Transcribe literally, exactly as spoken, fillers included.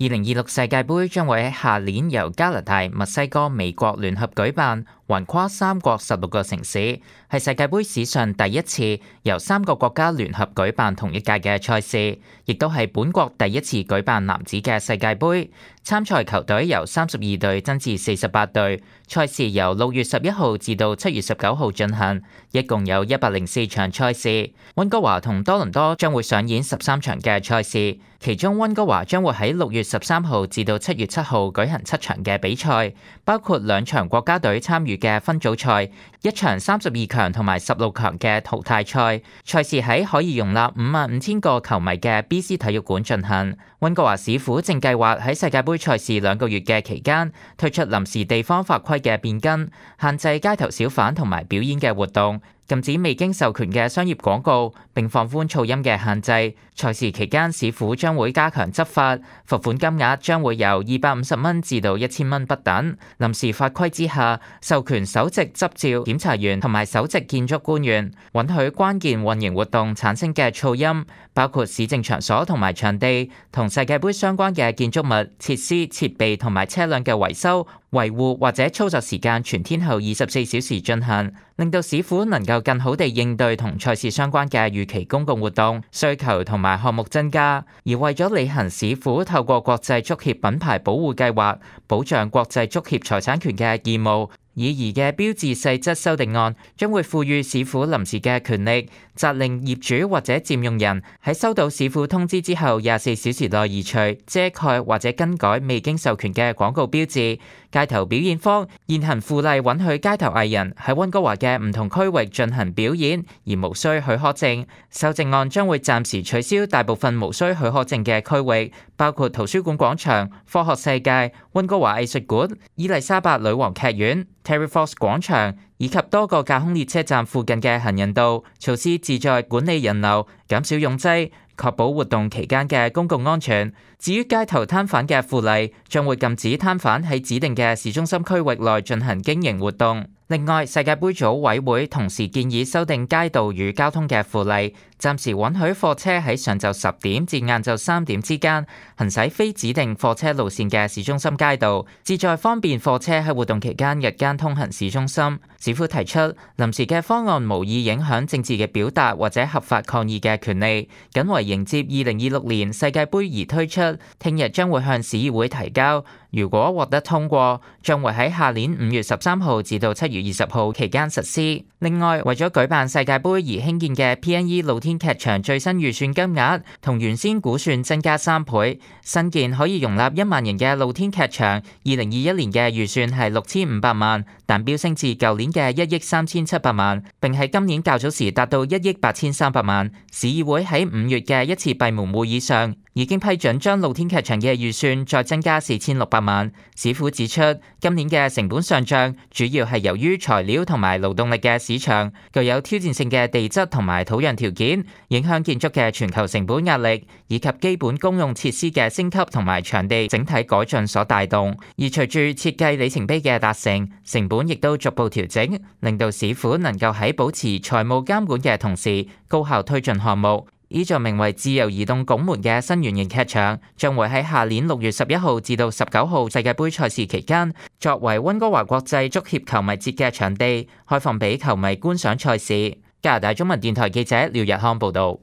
二零二六世界盃將會喺下年由加拿大、墨西哥、美國聯合舉辦，橫跨三國十六個城市，係世界盃史上第一次由三個國家聯合舉辦同一屆嘅賽事，亦都係本國第一次舉辦男子嘅世界盃。參賽球隊由三十二隊增至四十八隊，賽事由六月十一號至到七月十九號進行，一共有一百零四場賽事。溫哥華同多倫多將會上演十三場嘅賽事，其中溫哥華將會喺六月十三號至到七月七號舉行七場嘅比賽，包括兩場國家隊參與嘅分組賽，一場三十二強同埋十六強嘅淘汰賽。賽事喺可以容納五萬五千個球迷嘅 B C 體育館進行。溫哥華市府正計劃喺世界盃賽事兩個月嘅期間推出臨時地方法規嘅變更，限制街頭小販同埋表演嘅活動，禁止未經授權嘅商業廣告，並放寬噪音嘅限制。賽事期間，市府將會加強執法，罰款金額將會由二百五十蚊至到一千蚊不等。臨時法規之下，授權首席執照檢查員同埋首席建築官員允許關鍵運營活動產生嘅噪音，包括市政場所同埋場地、同世界盃相關嘅建築物、設施、設備同埋車輛嘅維修、維護或者操作時間全天候二十四小時進行，令到市府能夠更好地應對同賽事相關嘅預期公共活動需求同埋項目增加。而為咗履行市府透過國際足協品牌保護計劃保障國際足協財產權嘅義務，擬議嘅標誌細則修訂案將會賦予市府臨時嘅權力，責令業主或者佔用人喺收到市府通知之後廿四小時內移除、遮蓋或者更改未經授權嘅廣告標誌。街頭表演方現行附例允許街頭藝人喺溫哥華嘅唔同區域進行表演，而無需許可證。修正案將會暫時取消大部分無需許可證嘅區域，包括圖書館廣場、科學世界、溫哥華藝術館、伊麗莎白女王劇院、Terry Fox 廣場以及多個架空列車站附近嘅行人道。措施旨在管理人流、減少擁擠，確保活動期間嘅公共安全。至於街頭攤販嘅附例，將會禁止攤販喺指定嘅市中心區域內進行經營活動。另外，世界盃組委會同時建議修訂街道與交通嘅附例，暫時允許貨車喺上晝十點至晏晝三點之間行駛非指定貨車路線嘅市中心街道，旨在方便貨車喺活動期間日間通行市中心。市府提出臨時嘅方案無意影響政治嘅表達或者合法抗議嘅權利，僅為迎接二零二六年世界盃而推出，聽日將會向市議會提交。如果獲得通過，將會喺下年五月十三號至到七月二十號期間實施。另外，為咗舉辦世界盃而興建嘅 P N E 露天劇場最新預算金額同原先估算增加三倍，新建可以容納一萬人嘅露天劇場，二零二一年嘅預算係六千五百萬，但飆升至舊年嘅一億三千七百萬，並喺今年較早時達到一億八千三百萬。市議會喺五月嘅一次閉門會議上已經批准將露天劇場嘅預算再增加四千六百萬。市府指出，今年嘅成本上漲主要係由於材料同埋勞動力嘅市場具有挑戰性嘅地質同埋土壤條件，影響建築嘅全球成本壓力，以及基本公用設施嘅升級同埋場地整體改進所帶動。而隨住設計里程碑嘅達成，成本亦都逐步調整，令到市府能夠喺保持財務監管嘅同時，高效推進項目。依座名為自由移動拱門嘅新圓形劇場，將會喺下年六月十一號至到十九號世界盃賽事期間，作為溫哥華國際足協球迷節嘅場地，開放俾球迷觀賞賽事。加拿大中文電台記者廖日康報導。